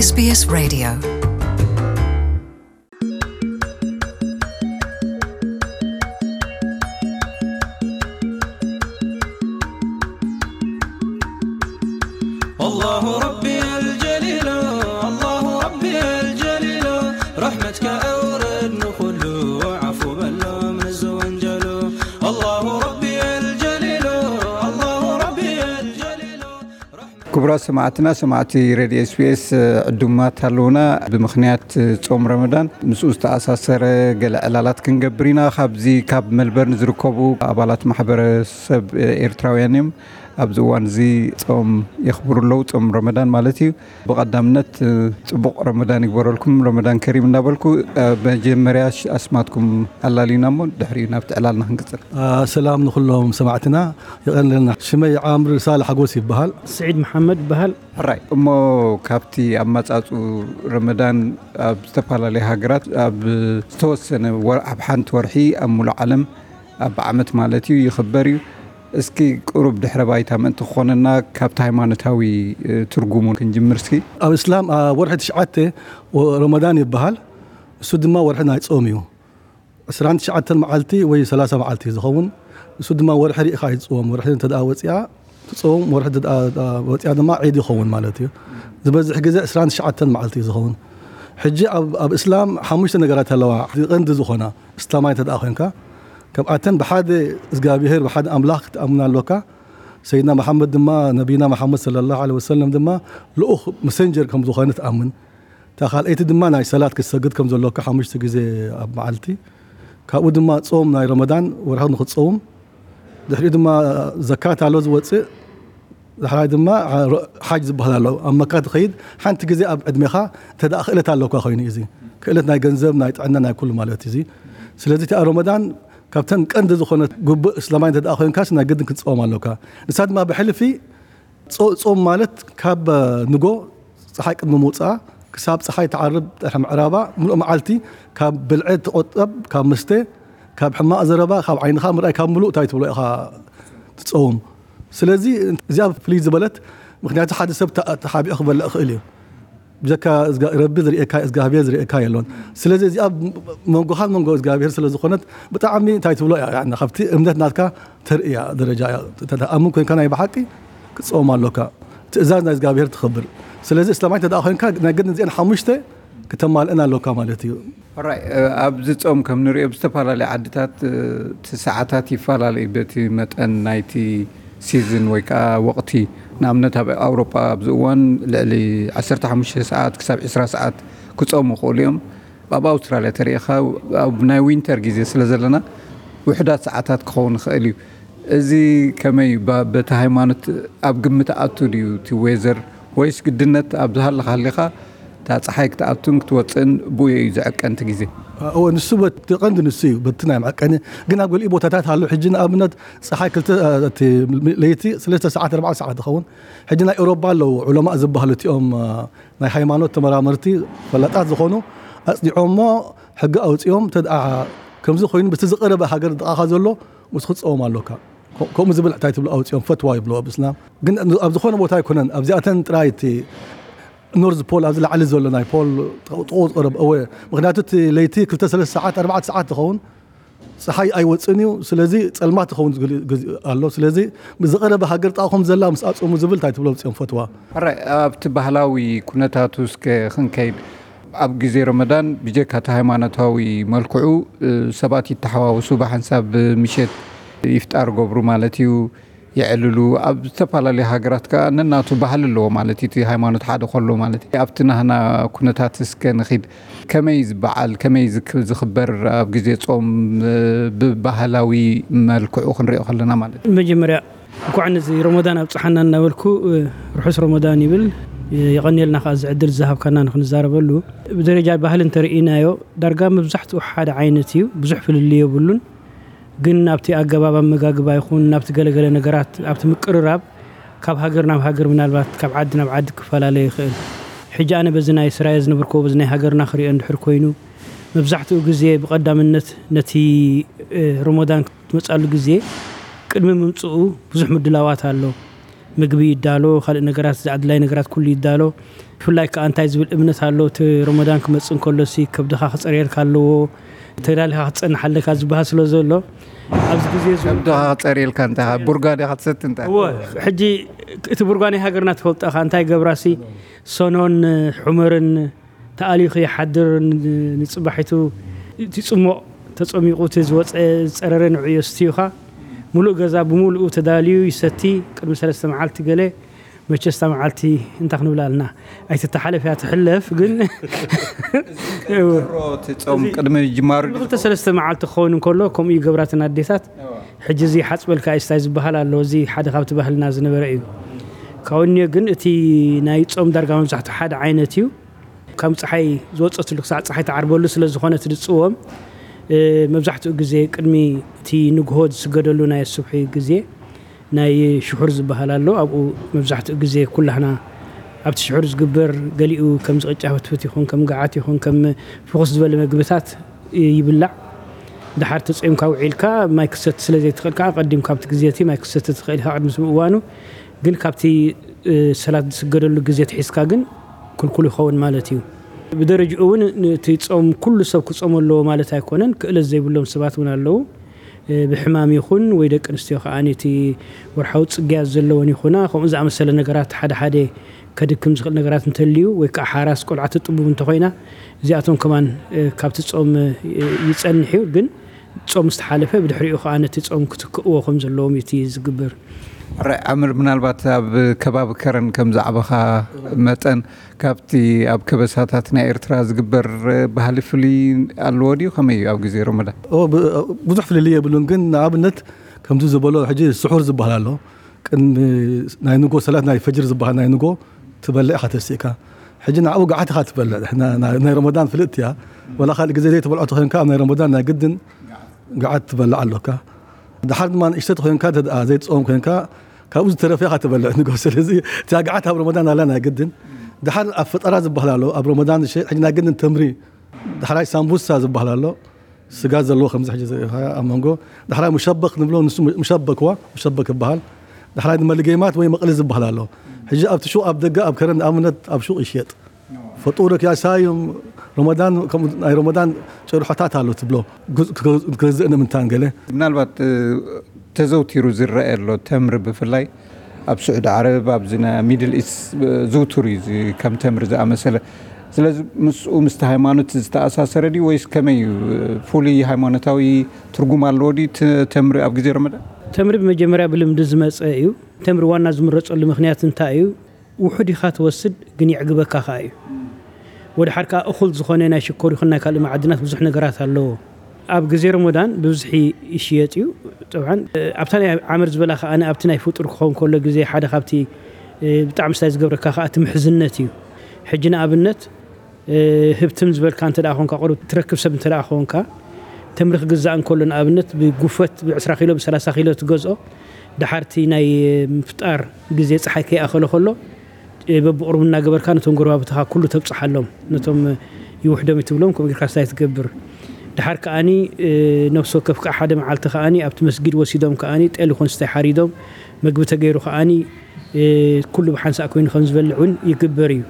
SBS Radio. الله ربي الجليل، الله ربي الجليل، رحمتك أورد نخلو عفو بلو من الزوانجلو. الله ربي الجليل، الله ربي الجليل. ክቡራት ሰማዕትና፣ ሰማዕቲ ሬድዮ ኤስቢኤስ፣ ዕዱማት ኣለውና። ብምኽንያት ጾም ረመዳን ምስኡ ዝተኣሳሰረ ገለ ዕላላት ክንገብር ኢና። ካብዚ ካብ መልበርን ዝርከቡ ኣባላት ማሕበረሰብ ኤርትራውያን እዮም። ኣብዚ እዋን እዚ ጾም የኽብሩ ኣለዉ፣ ጾም ረመዳን ማለት እዩ። ብቐዳምነት ጽቡቕ ረመዳን ይግበረልኩም፣ ረመዳን ከሪም እናበልኩ፣ መጀመርያ ኣስማትኩም ኣላልዩና እሞ ድሕሪኡ ናብቲ ዕላልና ክንቅጽል። ሰላም ንኹሎም ሰማዕትና፣ የቐንለልና። ሽመይ ዓምር ሳልሕ ሓጎስ ይበሃል። ስዒድ መሓመድ ይበሃል። ሕራይ እሞ፣ ካብቲ ኣመጻጽኡ ረመዳን ኣብ ዝተፈላለየ ሃገራት ኣብ ዝተወሰነ ወር-፣ ኣብ ሓንቲ ወርሒ ኣብ ሙሉእ ዓለም ኣብ ዓመት ማለት እዩ ይኽበር እዩ። እስኪ ቁሩብ ድሕረ ባይታ ምእንቲ ክኾነና ካብቲ ሃይማኖታዊ፣ እ፣ ትርጉሙ ክንጅምር እስኪ። ኣብ እስላም ኣብ ወርሒ ትሽዓተ ወ-፣ ረመዳን ይበሃል። እሱ ድማ ወርሒ ናይ ጾም እዩ። ዕስራን ትሽዓተን መዓልቲ ወይ ሰላሳ መዓልቲ እዩ ዝኸውን። እሱ ድማ ወርሒ ርኢኻ እዩ ዝጽወም። ወርሒ እንተ ደኣ ወጺኣ ትጸውም፣ ወርሒ እንተ ደኣ ወጺኣ ድማ ዒድ ይኸውን ማለት እዩ። ዝበዝሕ ግዜ ዕስራን ትሽዓተን መዓልቲ እዩ ዝኸውን። ሕጂ ኣብ፣ ኣብ እስላም ሓሙሽተ ነገራት ኣለዋ፣ ቀንዲ ዝኾና። እስላማይ እንተ ደኣ ኮይንካ፣ ካብኣተን ብሓደ እግዚኣብሄር፣ ብሓደ ኣምላኽ ክትኣምን ኣሎካ። ሰይድና መሓመድ ድማ፣ ነቢና መሓመድ ሰለላሁ ዐለይሂ ወሰለም ድማ ልኡኽ፣ መሰንጀር ከም ዝኾነ ትኣምን። እታ ካልኣይቲ ድማ ናይ ሰላት ክትሰግድ ከም ዘሎካ ሓሙሽተ ግዜ ኣብ መዓልቲ። ካብኡ ድማ ጾም ናይ ረመዳን ወርሒ ንኽትጸውም። ድሕሪኡ ድማ ዘካት ኣሎ ዝወጽእ። ዳሕራይ ድማ ሓ-፣ ሓጅ ዝበሃል ኣሎ። ኣብ መካ ትኸይድ፣ ሓንቲ ግዜ ኣብ ዕድሜኻ እንተ ደኣ ክእለት ኣለካ ኮይኑ እዩ እዚ። ክእለት ናይ ገንዘብ፣ ናይ ጥዕና፣ ናይ ኩሉ ማለት እዩ እዚ። ስለዚ እቲኣ ረመዳን ካብተን ቀንዲ ዝኾነት ግቡእ እስላማይ እንተ ደኣ ኮይንካስ ናይ ግድን ክትጸውም ኣለካ። ንሳ ድማ ብሕልፊ ጾ-፣ ጾም ማለት ካብ ንጎ ጸሓይ ቅድሚ ምውጽኣ ክሳብ ጸሓይ ትዓርብ ድሕሪ ምዕራባ ምሉእ መዓልቲ ካብ ብልዒ ትቆጠብ፣ ካብ መስተ፣ ካብ ሕማቕ ዘረባ፣ ካብ ዓይንኻ ምርኣይ፣ ካብ ምሉእ እንታይ ትብሎ ኢኻ ትጸውም። ስለዚ እዚኣ ፍልይ ዝበለት፣ ምኽንያቱ ሓደ ሰብ ተ-፣ ተሓቢኡ ክበልዕ ይኽእል እዩ። ብጀካ እዝጋ-፣ ረቢ ዝርእየካ፣ እግዚኣብሔር ዝርእየካ የሎን። ስለዚ እዚኣ መንጎኻን መንጎ እግዚኣብሔር ስለ ዝኾነት ብጣዕሚ እንታይ ትብሎ እያ፣ ያኒ ካብቲ እምነት ናትካ ተርእያ ደረጃ እያ። ተተኣምን ኮይንካ ናይ ብሓቂ ክትጸውም ኣሎካ። ትእዛዝ ናይ እግዚኣብሔር ትኽብር። ስለዚ እስላማይ እንተ ደኣ ኮይንካ ናይ ግድን እዚአን ሓሙሽተ ክተማልእን ኣሎካ ማለት እዩ። ሕራይ፣ እ፣ ኣብዚ ጾም ከም ንሪኦ ብዝተፈላለየ ዓድታት፣ እ፣ እቲ ሰዓታት ይፈላለዩ በቲ መጠን ናይቲ ሲዝን ወይ ከዓ ወቕቲ። ንኣብነት ኣብ ኣውሮጳ ኣብዚ እዋን ልዕሊ ዓሰርተ ሓሙሽተ ሰዓት ክሳብ ዕስራ ሰዓት ክጾሙ ይኽእሉ እዮም። ኣብ ኣውስትራልያ ተሪኢኻ ኣብ ናይ ዊንተር ግዜ ስለ ዘለና ውሑዳት ሰዓታት ክኸውን ይኽእል እዩ። እዚ ከመይ ባ-፣ በቲ ሃይማኖት ኣብ ግምት ኣቱ ድዩ እቲ ዌዘር ወይስ ግድነት ኣብ ዝሃለኻ ሃሊኻ እታ ጸሓይ ክትኣቱን ክትወጽእን ብኡ እዩ ዝዕቀን እቲ ግዜ? እወ፣ ንሱ በቲ ቀንዲ ንሱ እዩ፣ በቲ ናይ መዕቀኒ። ግን ኣብ ገሊኡ ቦታታት ኣሎ። ሕጂ ንኣብነት ጸሓይ ክልተ፣ እቲ ለይቲ ሰለስተ ሰዓት፣ ኣርባዕተ ሰዓት ይኸውን። ሕጂ ናይ ኤውሮጳ ኣለዉ ዑለማእ ዝበሃሉ እቲኦም፣ ናይ ሃይማኖት ተመራመርቲ ፈላጣት ዝኾኑ ኣጽኒዖሞ ሕጊ ኣውጺኦም፣ እንተ ደኣ ከምዚ ኮይኑ በቲ ዝቐረበ ሃገር ጥቓኻ ዘሎ ምስኡ ክትጸውም ኣሎካ። ከ-፣ ከምኡ ዝብል እንታይ ትብሎ ኣውጺኦም ፈትዋ ይብሎ ኣብ እስላም። ግን ኣብ ዝኾነ ቦታ ኣይኮነን፣ ኣብዚኣተን ጥራይ እቲ ኖርዝ ፖል ኣብዚ ላዕሊ ዘሎ ናይ ፖል ጥቕኡ ዝቐረብ እወ። ምኽንያቱ እቲ ለይቲ ክልተ ሰለስተ ሰዓት፣ ኣርባዕተ ሰዓት ትኸውን፣ ጸሓይ ኣይወጽእን እዩ። ስለዚ ጸልማት ትኸውን ዝግል-፣ ግዜ ኣሎ። ስለዚ ዝቐረበ ሃገር ጥቓኹም ዘላ ምስ ኣጽሙ ዝብል እንታይ ትብሎ ኣውጺኦም ፈትዋ። ሕራይ፣ ኣብቲ ባህላዊ ኩነታቱ እስከ ክንከይድ፣ ኣብ ግዜ ረመዳን ብጀካ እቲ ሃይማኖታዊ መልክዑ፣ እ፣ ሰባት ይተሓዋወሱ፣ ብሓንሳብ ምሸት ይፍጣር ገብሩ ማለት እዩ፣ የዕልሉ። ኣብ ዝተፈላለዩ ሃገራት ከኣ ነናቱ ባህሊ ኣለዎ ማለት እዩ፣ እቲ ሃይማኖት ሓደ ከሎ ማለት እዩ። ኣብቲ ናህና ኩነታት እስከ ንኺድ። ከመይ ዝበዓል፣ ከመይ ዝክ-፣ ዝኽበር ኣብ ግዜ ጾም፣ እ፣ ብባህላዊ መልክዑ ክንሪኦ ከለና ማለት እዩ? መጀመርያ እንኳዕ ነዚ ረመዳን ኣብጽሓና እናበልኩ፣ እ፣ ርሑስ ረመዳን ይብል። እ፣ የቐንየልና ከኣ እዚ ዕድል ዝሃብካና ንክንዛረበሉ። ብደረጃ ባህሊ እንተርኢናዮ ዳርጋ መብዛሕትኡ ሓደ ዓይነት እዩ፣ ብዙሕ ፍልልይ የብሉን። ግን ናብቲ ኣገባብ ኣመጋግባ ይኹን ናብቲ ገለገለ ነገራት፣ ኣብቲ ምቅርራብ ካብ ሃገር ናብ ሃገር ምናልባት ካብ ዓዲ ናብ ዓዲ ክፈላለ ይኽእል። ሕጂ ኣነ በዚ ናይ ስራየ ዝነበርክዎ በዚ ናይ ሃገርና ክሪኦ እንድሕር ኮይኑ፣ መብዛሕትኡ ግዜ ብቐዳምነት ነቲ፣ እ፣ ረመዳን ክትመጻሉ ግዜ ቅድሚ ምምጽኡ ብዙሕ ምድላዋት ኣሎ። ምግቢ ይዳሎ፣ ካልእ ነገራት፣ ዝኣድላይ ነገራት ኩሉ ይዳሎ። ብፍላይ ከዓ እንታይ ዝብል እምነት ኣሎ፣ እቲ ረመዳን ክመፅእ እንከሎሲ ከብድኻ ክፀርየልካ ኣለዎ፣ ተዳሊኻ ክትፀንሕ ኣለካ ዝበሃል ስለ ዘሎ ኣብዚ ግዜ እዚ እውን ከብድኻ ክፀርየልካ እንታይ ቡርጋ ዲኻ ትሰቲ እንታይ እወ። ሕጂ እቲ ቡርጋ ናይ ሃገርና ትፈልጦ ኢኻ፣ እንታይ ገብራሲ ሰኖን ሑመርን ተኣልዩ ከይሓድር፣ ንፅባሒቱ እቲ ፅሞቕ ተፀሚቑ እቲ ዝወፀ ዝፀረረ ንዕዮ ስትዩኻ፣ ሙሉእ ገዛ ብምሉኡ ተዳልዩ ይሰቲ። ቅድሚ ሰለስተ መዓልቲ ገለ መቸስታ መዓልቲ እንታይ ክንብላ ኣለና፣ ኣይትተሓለፍ እያ ትሕለፍ። ግን ሮ እቲ ፆም ቅድሚ ጅማሩ ክልተ ሰለስተ መዓልቲ ክኸውን እንከሎ ከምኡ ይገብራትን ኣዴታት። ሕጂ እዚ ሓፅበልካ እስታይ ዝበሃል ኣሎ፣ እዚ ሓደ ካብቲ ባህልና ዝነበረ እዩ። ካብኡ ግን እቲ ናይ ፆም ዳርጋ መብዛሕትኡ ሓደ ዓይነት እዩ። ካብ ፀሓይ ዝወፀትሉ ክሳዕ ፀሓይ ትዓርበሉ ስለ ዝኾነ እቲ ዝፅወም፣ መብዛሕትኡ ግዜ ቅድሚ እቲ ንግሆ ዝስገደሉ ናይ ሱብሒ ግዜ ናይ ሽሑር ዝበሃል ኣሎ። ኣብኡ መብዛሕትኡ ግዜ ኩላህና ኣብቲ ሽሑር ዝግበር፣ ገሊኡ ከም ዝቕጫ ፍትፍት ይኹን ከም ገዓት ይኹን ከም ፍኹስ ዝበለ መግብታት ይብላዕ። ድሓር ተፀምካ ውዒልካ ማይ ክሰቲ ስለ ዘይትኽእል ከዓ ቀዲምካ ኣብቲ ግዜ እቲ ማይ ክሰቲ ትኽእል ኢኻ ቅድሚ እዋኑ። ግን ካብቲ ሰላት ዝስገደሉ ግዜ ትሒዝካ ግን ክልኩል ይኸውን ማለት እዩ። ብደረጅኡ እውን እቲ ፆም ኩሉ ሰብ ክፀሞ ኣለዎ ማለት ኣይኮነን። ክእለት ዘይብሎም ሰባት እውን ኣለዉ። ብሕማም ይኹን ወይ ደቂ ኣንስትዮ ከዓ እቲ ወርሓዊ ፅግያት ዘለወን ይኹና ከምኡ ዝኣመሰለ ነገራት ሓደ ሓደ ከድክም ዝኽእል ነገራት እንተልዩ ወይ ከዓ ሓራስ ቆልዓ ትጥቡብ እንተኾይና እዚኣቶም ከማን ካብቲ ፆም ይፀንሕ እዩ። ግን ጾም ዝተሓለፈ ብድሕሪኡ ከዓ ነቲ ጾም ክትክእዎ ከም ዘለዎም እዩ እቲ ዝግበር። ሕራይ ዓምር፣ ምናልባት ኣብ ከባቢ ከረን ከም ዝዓበኻ መጠን ካብቲ ኣብ ከበሳታት ናይ ኤርትራ ዝግበር ባህሊ ፍሉይ ኣለዎ ድዩ? ከመይ እዩ ኣብ ግዜ ረመዳን? ኦ፣ ብ-፣ ብዙሕ ፍልልይ የብሉን፣ ግን ንኣብነት ከምዚ ዝበሎ ሕጂ ስሑር ዝበሃል ኣሎ። ቅድሚ ናይ ንጎ ሰላት ናይ ፈጅር ዝበሃል ናይ ንጎ ትበልዕ ኢኻ ተሲእካ። ሕጂ ንዕኡ ገዓት ኢኻ ትበልዕ። ንሕና ናይ ናይ ረመዳን ፍልጥቲ እያ። ወላ ካልእ ግዜ ዘይትበልዖ ተኾይንካ ኣብ ናይ ረመዳን ናይ ግድን ገዓት ትበልዕ ኣሎካ። ድሓር ድማ ንእሽተይ ተኾይንካ እንተ ደኣ ዘይትጸውም ኮይንካ ካብኡ ዝተረፈ ኢኻ ትበልዕ ንጎ። ስለዚ እቲኣ ገዓት ኣብ ረመዳን ኣላ ናይ ግድን። ድሓር ኣብ ፈጠራ ዝበሃል ኣሎ ኣብ ረመዳን። እሺ፣ ሕጂ ናይ ግድን ተምሪ፣ ዳሕራይ ሳምቡሳ ዝበሃል ኣሎ። ስጋ ዘለዎ ከምዚ ሕጂ ዝረኣኻ ኣብ መንጎ። ዳሕራይ ሙሸበክ ንብሎ፣ ንሱ ሙሸበክ ዋ፣ ሙሸበክ ይበሃል። ዳሕራይ ድማ ልጌማት ወይ መቕሊ ዝበሃል ኣሎ። ሕጂ ኣብቲ ሹቕ ኣብ ደገ ኣብ ከረን ንኣብነት ኣብ ሹቕ ይሽየጥ። ፈጡር ክያ ሳዮም ረመዳን፣ ከምኡ ናይ ረመዳን ጭርሖታት ኣሎ ትብሎ። ክገዝእ ንምንታን ገለ። ምናልባት ተዘውቲሩ ዝረአ ኣሎ ተምሪ ብፍላይ ኣብ ስዑዲ ዓረብ ኣብዚ ናይ ሚድል ኢስት ዝውቱር እዩ እዚ ከም ተምሪ ዝኣመሰለ። ስለዚ ምስኡ ምስቲ ሃይማኖት ዝተኣሳሰረ ድዩ ወይስ ከመይ እዩ? ፍሉይ ሃይማኖታዊ ትርጉም ኣለዎ ድዩ እቲ ተምሪ ኣብ ግዜ ረመዳን? ተምሪ ብመጀመርያ ብልምዲ ዝመፀ እዩ። ተምሪ ዋና ዝምረፀሉ ምክንያት እንታይ እዩ? ውሑድ ኢኻ ትወስድ ግን የዕግበካ ከኣ እዩ። ወድሓር ከኣ እኹል ዝኾነ ናይ ሽኮር ይኹን ናይ ካልእ መዓድናት ብዙሕ ነገራት ኣለዎ። ኣብ ግዜ ረመዳን ብብዝሒ ይሽየጥ እዩ። ጠብዓን ኣብታ ናይ ዓመር ዝበላ ከኣ ኣብቲ ናይ ፍጡር ክኸውን ከሎ ግዜ ሓደ ካብቲ ብጣዕሚ ስታይ ዝገብረካ ከኣ እቲ ምሕዝነት እዩ። ሕጂ ንኣብነት ህብትም ዝበልካ እንተ ደኣ ኾንካ፣ ቁሩብ ትረክብ ሰብ እንተ ደኣ ኾንካ፣ ተምሪ ክግዛእ እንከሎ ንኣብነት ብጉፈት ብ20 ኪሎ ብ30 ኪሎ ትገዝኦ፣ ድሓርቲ ናይ ምፍጣር ግዜ ፀሓይ ከይኣኸሎ ከሎ በብቕሩብ እናገበርካ ነቶም ጎረባብትኻ ኩሉ ተብፅሓሎም፣ ነቶም ይውሕዶም ይትብሎም ከምኡ ጌርካ ስታይ ትገብር። ድሓር ከኣኒ ነፍሲ ወከፍ ከዓ ሓደ መዓልቲ ከኣኒ ኣብቲ መስጊድ ወሲዶም ከኣኒ ጤል ይኹን ስታይ ሓሪዶም መግቢ ተገይሩ ከኣኒ ኩሉ ብሓንሳእ ኮይኑ ከም ዝበልዕ እውን ይግበር እዩ።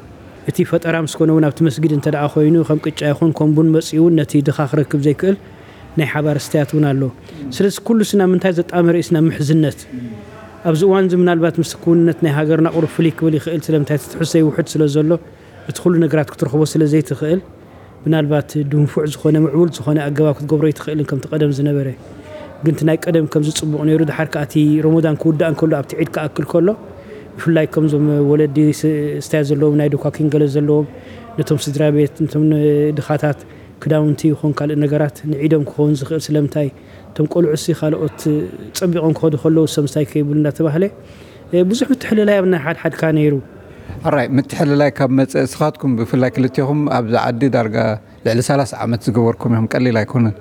እቲ ፈጠራ ምስ ኮነ እውን ኣብቲ መስጊድ እንተ ደኣ ኮይኑ ከም ቅጫ ይኹን ከም ቡን መፂኡ እውን ነቲ ድኻ ክረክብ ዘይክእል ናይ ሓባር ስትያት እውን ኣሎ። ስለዚ ኩሉ ስና ምንታይ ዘጣመረ እዩ ስና ምሕዝነት ኣብዚ እዋን እዚ ምናልባት ምስ ክውንነት ናይ ሃገርና ቁሩብ ፍልይ ክብል ይኽእል ስለምንታይ እቲ ትሕዝቶ ይውሕድ ስለ ዘሎ እቲ ኩሉ ነገራት ክትረኽቦ ስለ ዘይትኽእል ምናልባት ድንፉዕ ዝኾነ ምዕቡል ዝኾነ ኣገባብ ክትገብሮ ኣይትኽእልን ከምቲ ቀደም ዝነበረ ግን እቲ ናይ ቀደም ከምዚ ፅቡቕ ነይሩ ድሓር ከዓ እቲ ረመዳን ክውዳእ እንከሎ ኣብቲ ዒድ ክኣክል ከሎ ብፍላይ ከምዞም ወለዲ ስታያ ዘለዎም ናይ ዶኳኪን ገለ ዘለዎም ነቶም ስድራ ቤት ነቶም ድኻታት ክዳውንቲ ይኹን ካልእ ነገራት ንዒዶም ክኸውን ዝኽእል ስለምንታይ እቶም ቆልዑ ሲ ካልኦት ፀቢቖም ክኸዱ ከለዉ ሰምስታይ ከይብሉ እንዳተባህለ ብዙሕ ምትሕልላይ ኣብ ናይ ሓድሓድካ ነይሩ። ሕራይ ምትሕልላይ ካብ መፀ እስኻትኩም ብፍላይ ክልቴኹም ኣብዚ ዓዲ ዳርጋ ልዕሊ ሰላሳ ዓመት ዝገበርኩም ኢኹም ቀሊል ኣይኮነን።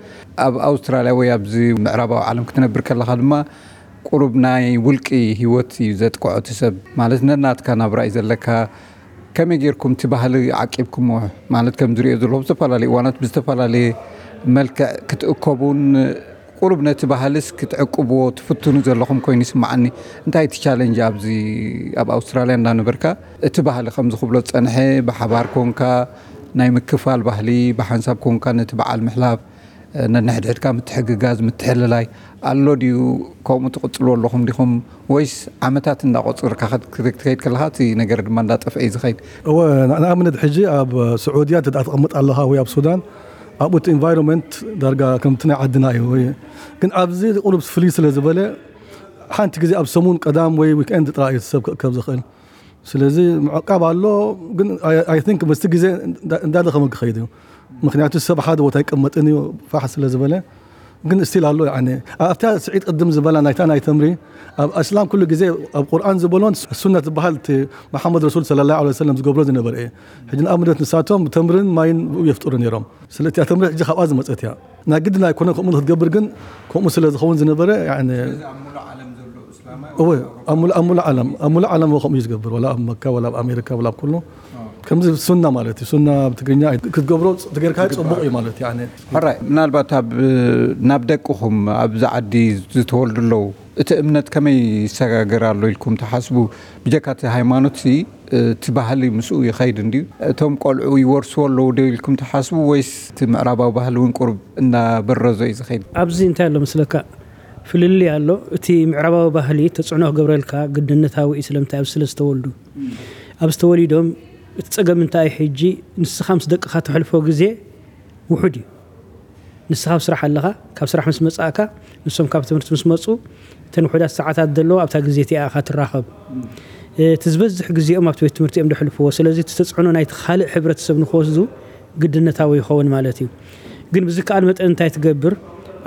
ኣብ ኣውስትራልያ ወይ ኣብዚ ምዕራባዊ ዓለም ክትነብር ከለኻ ድማ ቁሩብ ናይ ውልቂ ህይወት እዩ ዘጥቅዖ እቲ ሰብ ማለት ነናትካ ናብራ እዩ ዘለካ። ከመይ ጌርኩም እቲ ባህሊ ዓቂብኩሞ ማለት ከም ዝሪኦ ዘለኹ ብዝተፈላለየ እዋናት ብዝተፈላለየ መልክዕ ክትእከቡን ቁሩብ ነቲ ባህልስ ክትዕቅብዎ ትፍትኑ ዘለኹም ኮይኑ ይስምዓኒ። እንታይ እቲ ቻለንጅ ኣብዚ ኣብ ኣውስትራልያ እንዳነበርካ እቲ ባህሊ ከምዚ ክብሎ ዝጸንሐ ብሓባር ኮንካ ናይ ምክፋል ባህሊ ብሓንሳብ ኮንካ ነቲ በዓል ምሕላፍ ነንሕድሕድካ ምትሕግጋዝ ምትሕልላይ ኣሎ ድዩ? ከምኡ ትቕጽሉ ኣለኹም ዲኹም ወይስ ዓመታት እንዳቆጽርካ ክትከይድ ከለኻ እቲ ነገር ድማ እንዳጠፍአ እዩ ዝኸይድ? እወ፣ ንኣብነት ሕጂ ኣብ ስዑድያ እንተ ተቐምጥ ኣለኻ ወይ ኣብ ሱዳን ኣብኡ እቲ ኢንቫይሮንመንት ዳርጋ ከምቲ ናይ ዓድና እዩ። ግን ኣብዚ ቁሩብ ፍልይ ስለ ዝበለ ሓንቲ ግዜ ኣብ ሰሙን ቀዳም ወይ ዊክኤንድ ጥራይ እዩ ሰብ ክእከብ ዝኽእል። ስለዚ ምዕቃብ ኣሎ። ግን ኣይ ቲንክ ምስቲ ግዜ እንዳደኸመ ክኸይድ እዩ። ምክንያቱ ሰብ ሓደ ቦታ ኣይቀመጥን እዩ ፋሕ ስለ ዝበለ። ግን ስቲል ኣሎ። ኣብታ ስዒድ ቅድም ዝበላ ናይታ ናይ ተምሪ ኣብ ኣስላም ኩሉ ግዜ ኣብ ቁርኣን ዝበሎን ሱነት ዝበሃል እቲ መሓመድ ረሱል ሰለላሁ ዐለይሂ ወሰለም ዝገብሮ ዝነበረ እዩ። ሕጂ ንኣብነት ንሳቶም ተምርን ማይን ብኡ የፍጥሩ ነይሮም። ስለቲ እያ ተምሪ ሕጂ ካብኣ ዝመጸት እያ። ናይ ግድን ኣይኮነ ከምኡ ክትገብር፣ ግን ከምኡ ስለ ዝኸውን ዝነበረ። እወ፣ ኣብ ሙሉእ ዓለም ኣብ ሙሉእ ዓለም ከምኡ እዩ ዝገብር፣ ወላ ኣብ መካ ወላ ኣብ ኣሜሪካ ወላ ኣብ ኩሉ ከምዚ ሱና ማለት እዩ። ሱና ኣብ ትግርኛ ክትገብሮ ተገርካ ጽቡቕ እዩ ማለት እዩ። ሕራይ፣ ምናልባት ኣብ ናብ ደቅኹም ኣብዚ ዓዲ ዝተወልዱ ኣለዉ፣ እቲ እምነት ከመይ ይሰጋገር ኣሎ ኢልኩም ትሓስቡ? ብጀካ እቲ ሃይማኖት እቲ ባህሊ ምስኡ ይኸይድ እንድዩ። እቶም ቆልዑ ይወርስዎ ኣለዉ ዶ ኢልኩም ትሓስቡ ወይስ እቲ ምዕራባዊ ባህሊ እውን ቁሩብ እናበረዞ እዩ ዝኸይድ? ኣብዚ እንታይ ኣሎ መስለካ? ፍልልይ ኣሎ። እቲ ምዕራባዊ ባህሊ ተፅዕኖ ክገብረልካ ግድነታዊ እዩ። ስለምንታይ? ኣብዚ ስለ ዝተወልዱ። ኣብዚ ተወሊዶም እቲ ፀገም እንታይ እዩ? ሕጂ ንስኻ ምስ ደቅኻ ተሕልፎ ግዜ ውሑድ እዩ። ንስኻ ኣብ ስራሕ ኣለኻ፣ ካብ ስራሕ ምስ መጻእካ፣ ንሶም ካብ ትምህርቲ ምስ መጹ፣ እተን ውሑዳት ሰዓታት ዘለዎ ኣብታ ግዜ እቲኣ ኢኻ ትራኸብ። እቲ ዝበዝሕ ግዜኦም ኣብቲ ቤት ትምህርቲ እዮም ዘሕልፍዎ። ስለዚ እቲ ተጽዕኖ ናይቲ ካልእ ሕብረተሰብ ንክወስዱ ግድነታዊ ይኸውን ማለት እዩ። ግን ብዝከኣል መጠን እንታይ ትገብር?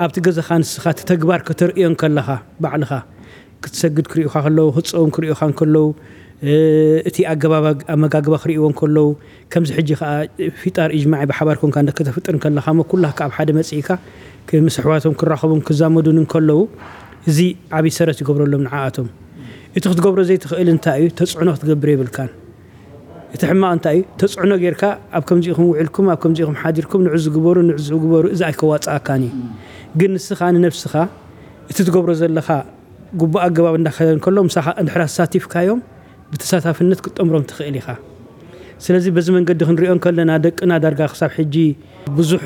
ኣብቲ ገዛኻ ንስኻ እቲ ተግባር ከተርእዮ እንከለኻ ባዕልኻ ክትሰግድ ክርእዩኻ ከለዉ፣ ክትጸውም ክርእዩኻ እንከለዉ፣ እቲ ኣገባብ ኣመጋግባ ክርእይዎ እንከለዉ፣ ከምዚ ሕጂ ከኣ ፊጣር ኢጅማዒ ብሓባር ኮንካ እንደ ከተፍጥር እንከለኻ እሞ ኩላካ ኣብ ሓደ መጺእካ ምስ ኣሕዋቶም ክራኸቡን ክዛመዱን እንከለዉ፣ እዚ ዓቢ ሰረት ይገብረሎም ንዓኣቶም። እቲ ክትገብሮ ዘይትኽእል እንታይ እዩ? ተጽዕኖ ክትገብር የብልካን። እቲ ሕማቕ እንታይ እዩ? ተጽዕኖ ጌርካ ኣብ ከምዚ ኢኹም ውዒልኩም፣ ኣብ ከምዚ ኢኹም ሓዲርኩም፣ ንዑ ዝግበሩ፣ ንዑ ዝግበሩ፣ እዚ ኣይከዋጽኣካን እዩ። ግን ንስኻ ንነብስኻ እቲ ትገብሮ ዘለኻ ግቡእ ኣገባብ እንዳኸደ እንከሎ ምሳኻ እንድሕር ኣሳቲፍካዮም ብተሳታፍነት ክትጠምሮም ትኽእል ኢኻ። ስለዚ በዚ መንገዲ ክንሪኦ እንከለና ደቅና ዳርጋ ክሳብ ሕጂ ብዙሕ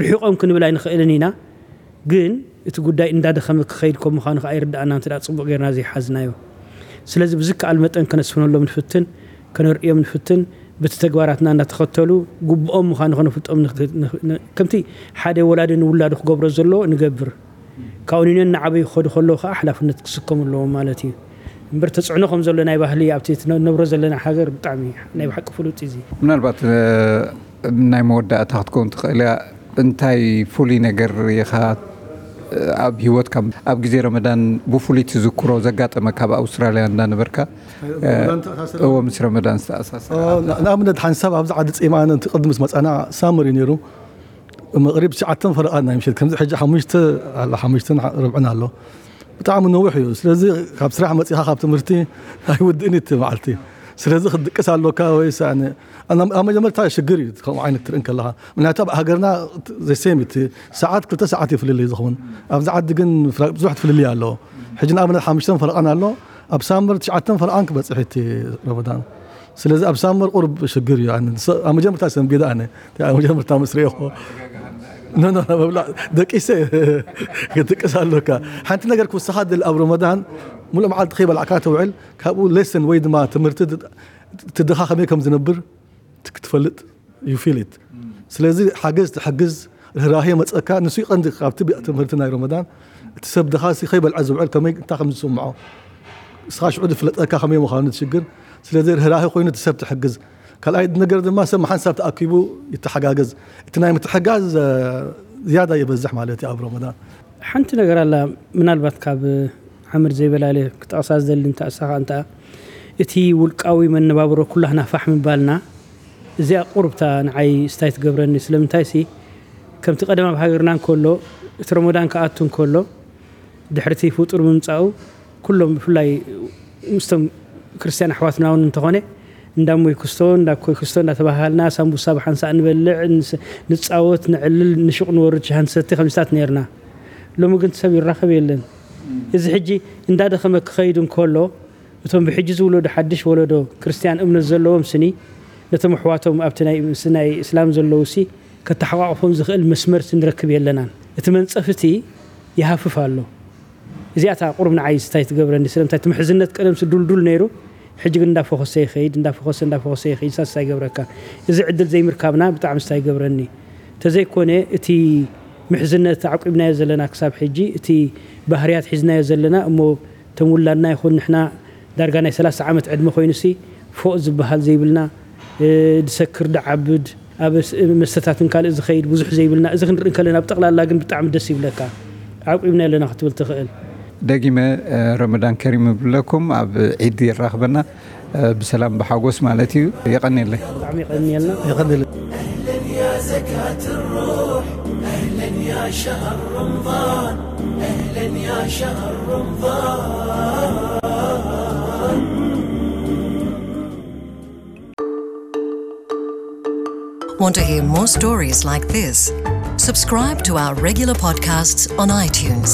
ርሒቖም ክንብል ኣይንኽእልን ኢና። ግን እቲ ጉዳይ እንዳደኸመ ክኸይድ ከም ምዃኑ ከኣ ይርድኣና እንተ ደኣ ጽቡቕ ጌርና ዘይሓዝናዮ። ስለዚ ብዝከኣል መጠን ከነስፍነሎም ንፍትን፣ ከነርእዮም ንፍትን፣ በቲ ተግባራትና እንዳተኸተሉ ግቡኦም ምዃኑ ከነፍልጦም ንኽ-፣ ንኽ-፣ ን-፣ ከምቲ ሓደ ወላዲ ንውላዱ ክገብሮ ዘለዎ ንገብር። ካብኡ ንነን እናዓበዩ ክኸዱ ከለዉ ከኣ ሓላፍነት ክስከሙ ኣለዎም ማለት እዩ። እምበር ተጽዕኖ ከም ዘሎ ናይ ባህሊ ኣብቲ እትነ-፣ እነብሮ ዘለና ሃገር ብጣዕሚ ናይ ብሓቂ ፍሉጥ እዩ እዚ። ምናልባት፣ እ፣ ናይ መወዳእታ ክትከውን ትኽእል እያ። እንታይ ፍሉይ ነገር ኢኻ፣ እ፣ ኣብ ህይወትካ ኣብ ግዜ ረመዳን ብፍሉይ ትዝክሮ ዘጋጠመካ ኣብ ኣውስትራልያ እንዳነበርካ? ረመዳን ተኣሳሰረ? እዎ፣ ምስ ረመዳን ዝተኣሳሰረ። ኦ፣ ን-፣ ንኣብነት ሓንሳብ ኣብዚ ዓዲ ጺማ ኣነ እቲ ቅድሚ ምስ መጻና ሳመር እዩ ነይሩ። መቕሪብ ትሽዓተን ፈረቓን ናይ ምሸት፣ ከምዚ ሕጂ ሓሙሽተ ኣሎ፣ ሓሙሽተን ሓ-፣ ርብዕን ኣሎ። ብጣዕሚ ነዊሕ እዩ። ስለዚ ካብ ስራሕ መጺኻ ካብ ትምህርቲ ኣይውድእን እዩ እቲ መዓልቲ። ስለዚ ክትድቅስ ኣሎካ ወይስ ኣነ፣ ኣነ ኣብ መጀመርታ ሽግር እዩ ከምኡ ዓይነት ትርኢ እንከለኻ። ምክንያቱ ኣብ ሃገርና ዘሴም እዩ፣ እቲ ሰዓት ክልተ ሰዓት እዩ ፍልልይ ዝኸውን። ኣብዚ ዓዲ ግን ፍላ-፣ ብዙሕ ፍልልይ ኣለዎ። ሕጂ ንኣብነት ሓሙሽተን ፈረቓን ኣሎ፣ ኣብ ሳመር ትሽዓተን ፈረቓን ክበጽሕ እቲ ረመዳን። ስለዚ ኣብ ሳመር ቁሩብ ሽግር እዩ። ኣነ ንስ-፣ ኣብ መጀመርታ ሰንቢደ ኣነ። ኣብ መጀመርታ ምስ ርእየኹ። ኖ፣ ኖ፣ ኖ፣ ምብላዕ ደቂሰ ክትድቅስ ኣሎካ። ሓንቲ ነገር ክውስኻ ደሊ ኣብ ረመዳን፣ ሙሉእ መዓልቲ ከይበላዕካ ትውዕል፣ ካብኡ ሌሰን ወይ ድማ ትምህርቲ ድ-፣ እቲ ድኻ ከመይ ከም ዝነብር ት-፣ ክትፈልጥ፣ you feel it። ስለዚ ሓገዝ ትሕግዝ፣ ርህራሄ መጸካ፣ ንሱ ይቐንዲ ካብቲ ብ-፣ ትምህርቲ ናይ ረመዳን። እቲ ሰብ ድኻ ሲ ከይበልዐ ዝውዕል ከመይ፣ እንታይ ከም ዝስምዖ፣ እስኻ ሽዑ ዝፍለጠካ ከመይ ምዃኑ ትሽግር። ስለዚ ርህራሄ ኮይኑ እቲ ሰብ ትሕግዝ። ካልኣይ ነገር ድማ ሰብ ሓንሳብ ተኣኪቡ ይተሓጋገዝ። እቲ ናይ ምትሕጋዝ፣ እ፣ ዝያዳ ይበዝሕ ማለት እዩ ኣብ ረመዳን። ሓንቲ ነገር ኣላ፣ ምናልባት ካብ ዓምር ዘይበላለ ክጠቕሳ ዝደሊ እንተ ኣሳኻ እንተ እቲ ውልቃዊ መነባብሮ ኩላህና ፋሕ ምባልና፣ እዚኣ ቁሩብታ ንዓይ ስታይ ትገብረኒ። ስለምንታይሲ፣ ከምቲ ቀደም ኣብ ሃገርና እንከሎ፣ እቲ ረመዳን ክኣቱ እንከሎ፣ ድሕሪ እቲ ፍጡር ምምጻኡ፣ ኩሎም ብፍላይ ምስቶም ክርስትያን ኣሕዋትና እውን እንተኾነ፣ እንዳ እሞይ ክስቶ፣ እንዳ ኣኮይ ክስቶ እንዳተባሃሃልና፣ ሳምቡሳ ብሓንሳእ ንበልዕ፣ ንስ-፣ ንጻወት፣ ንዕልል፣ ንሹቕ ንወርድ፣ ሻሂ ንሰቲ፣ ከምዚታት ነይርና። ሎሚ ግን ሰብ ይራኸብ የለን። እዚ ሕጂ እንዳደኸመ ክኸይድ እንከሎ፣ እቶም ብሕጂ ዝውለዱ ሓድሽ ወለዶ ክርስትያን እምነት ዘለዎም ስኒ፣ ነቶም ኣሕዋቶም ኣብቲ ናይ ምስ ናይ እስላም ዘለዉ ሲ ከተሓቋቕፎም ዝኽእል መስመር ክንረክብ የለናን። እቲ መንጸፍ እቲ ይሃፍፍ ኣሎ። እዚኣታ ቁሩብ ንዓይ ስታይ ትገብረኒ። ስለምንታይ እቲ ምሕዝነት ቀደም ስዱልዱል ነይሩ፣ ሕጂ ግን እንዳፈኾሰ ይኸይድ፣ እንዳፈኾሰ እንዳፈኾሰ ይኸይድ። ሳስታይ ይገብረካ። እዚ ዕድል ዘይምርካብና ብጣዕሚ ስታይ ይገብረኒ። ተዘይኮነ እቲ ምሕዝነት ዓቂብናዮ ዘለና ክሳብ ሕጂ፣ እቲ ባህርያት ሒዝናዮ ዘለና እሞ፣ ተም ውላድና ይኹን ንሕና ዳርጋ ናይ ሰላሳ ዓመት ዕድመ ኮይኑሲ፣ ፎእ ዝበሃል ዘይብልና፣ ዝሰክር ድዓብድ፣ ኣብ መስተታትን ካልእ ዝኸይድ ብዙሕ ዘይብልና፣ እዚ ክንርኢ ከለና ብጠቕላላ ግን ብጣዕሚ ደስ ይብለካ። ዓቂብና ኣለና ክትብል ትኽእል። ደጊመ ረመዳን ከሪም እብለኩም። ኣብ ዒድ የራኽበና ብሰላም ብሓጎስ ማለት እዩ። የቐንየለይ። ብጣዕሚ የቐንየልና። يقدر أهلا يا زكاة الروح، أهلا يا شهر رمضان، أهلا يا شهر رمضان. Want to hear more stories like this? Subscribe to our regular podcasts on iTunes.